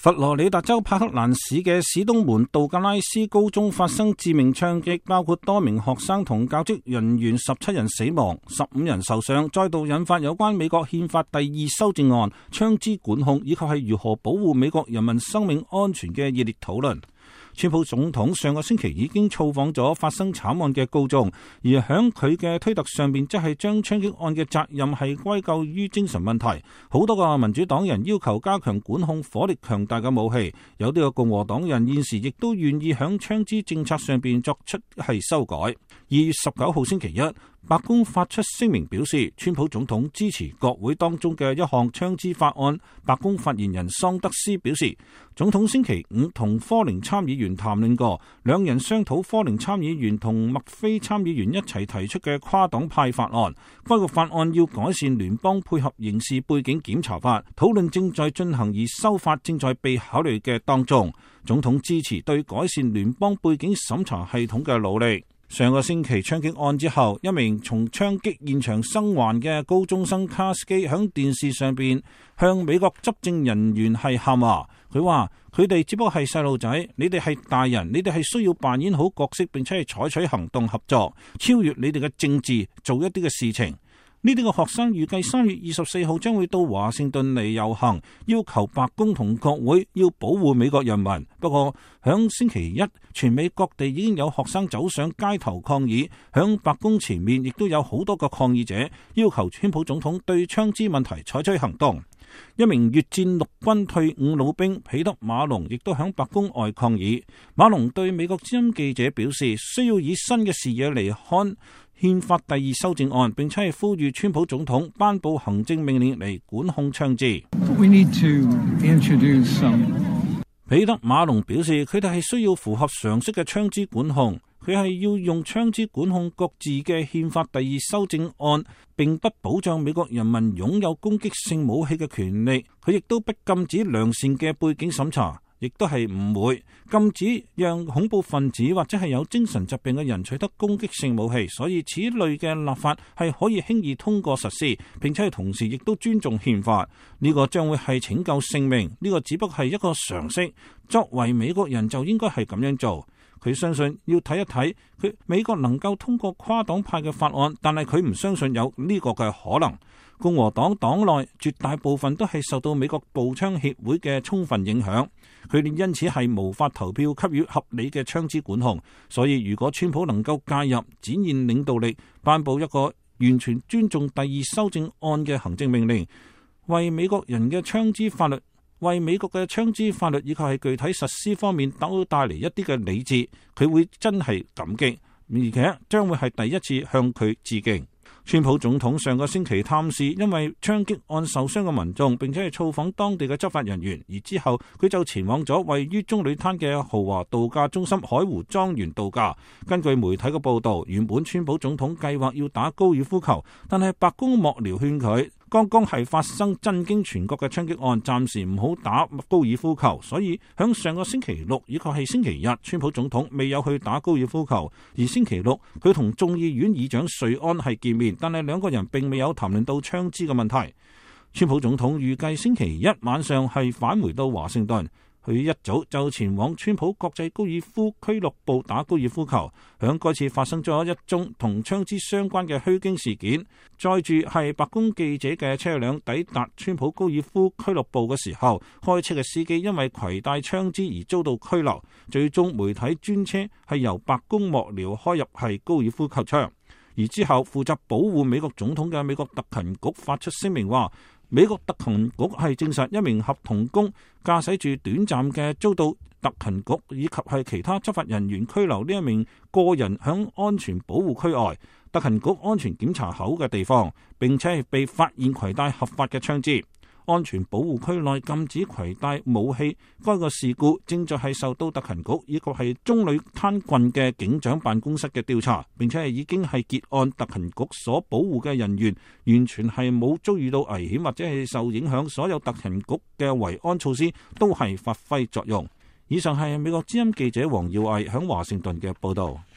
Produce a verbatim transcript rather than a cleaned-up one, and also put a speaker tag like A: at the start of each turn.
A: 佛羅里達州帕克蘭市嘅史東門道格拉斯高中發生致命槍擊，包括多名學生同教職人員十七人死亡，十五人受傷，再度引發有關美國憲法第二修正案、槍支管控以及係如何保護美國人民生命安全嘅熱烈討論。川普總統上個星期已經造訪咗發生慘案嘅高中，而響佢嘅推特上面，即係將槍擊案嘅責任係歸咎於精神問題。好多個民主黨人要求加強管控火力強大嘅武器，有啲個共和黨人現時亦都願意響槍支政策上邊作出係修改。二月十九號星期一，白宮發出聲明表示，川普總統支持國會當中嘅一項槍支法案。白宮發言人桑德斯表示，總統星期五同科寧參議員談論過，兩人商討科寧參議員同麥菲參議員一齊提出嘅跨黨派法案。該個法案要改善聯邦配合刑事背景檢查法，討論正在進行，而修法正在被考慮嘅當中。總統支持對改善聯邦背景審查系統嘅努力。上個星期槍擊案之後，一名從槍擊現場生還嘅高中生卡斯基響電視上邊向美國執政人員係喊話，佢話佢哋只不過係細路仔，你哋係大人，你哋係需要扮演好角色，並且係採取行動合作，超越你哋嘅政治，做一啲嘅事情。呢啲個學生預計三月二十四號將會到華盛頓嚟遊行，要求白宮同國會要保護美國人民。不過響星期一，全美各地已經有學生走上街頭抗議，響白宮前面亦都有好多個抗議者要求川普總統對槍支問題採取行動。一名越戰陸軍退伍老兵彼得馬龍亦都響白宮外抗議。馬龍對美國之音記者表示，需要以新嘅視野嚟看憲法第二修正案，並且係呼籲川普總統頒布行政命令嚟管控槍支。
B: We need to introduce some...
A: 彼得馬龍表示，佢哋係需要符合常識嘅槍支管控，佢係要用槍支管控各自嘅憲法第二修正案，並不保障美國人民擁有攻擊性武器嘅權利。佢亦都不禁止良善嘅背景審查，亦都係唔會禁止讓恐怖分子或者係有精神疾病嘅人取得攻擊性武器。所以此類嘅立法係可以輕易通過實施，並且係同時亦都尊重憲法。呢個將會係拯救性命，呢個只不過係一個常識，作為美國人就應該係咁樣做。佢相信要睇一睇佢美國能夠通過跨黨派嘅法案，但係佢唔相信有呢個嘅可能。共和黨黨內絕大部分都係受到美國步槍協會嘅充分影響，佢哋因此係無法投票給予合理嘅槍支管控。所以如果川普能夠介入，展現領導力，頒布一個完全尊重第二修正案嘅行政命令，為美國人嘅槍支法律為美國嘅槍支法律以及係具體實施方面都帶嚟一啲嘅理智，佢會真係感激，而且將會係第一次向佢致敬。川普總統上個星期探視因為槍擊案受傷嘅民眾，並且係造訪當地嘅執法人員，而之後佢就前往咗位於棕櫚灘嘅豪華度假中心海湖莊園度假。根據媒體嘅報道，原本川普總統計劃要打高爾夫球，但係白宮幕僚勸佢，剛剛係發生震驚全國嘅槍擊案，暫時唔好打高爾夫球，所以響上個星期六以及係星期日，川普總統未有去打高爾夫球。而星期六佢同眾議院議長瑞安係見面，但係兩個人並未有談論到槍支嘅問題。川普總統預計星期一晚上係返回到華盛頓，佢一早就前往川普國際高爾夫俱樂部打高爾夫球。響該次發生咗一宗同槍支相關嘅虛驚事件，載住係白宮記者嘅車輛抵達川普高爾夫俱樂部嘅時候，開車嘅司機因為攜帶槍支而遭到拘留。最終媒體專車係由白宮幕僚開入係高爾夫球場。而之後負責保護美國總統嘅美國特勤局發出聲明話，美國特勤局係證實一名合同工駕駛住短暫嘅遭到特勤局以及係其他執法人員拘留呢一名個人響安全保護區外特勤局安全檢查口嘅地方，並且係被發現攜帶合法嘅槍支。安全保護區內禁止攜帶武器，該個事故正在係受到特勤局以及係棕櫚灘郡嘅警長辦公室嘅調查，並且係已經係結案。特勤局所保護嘅人員完全係冇遭遇到危險或者係受影響，所有特勤局嘅維安措施都係發揮作用。以上係美國之音記者黃耀毅響華盛頓嘅報道。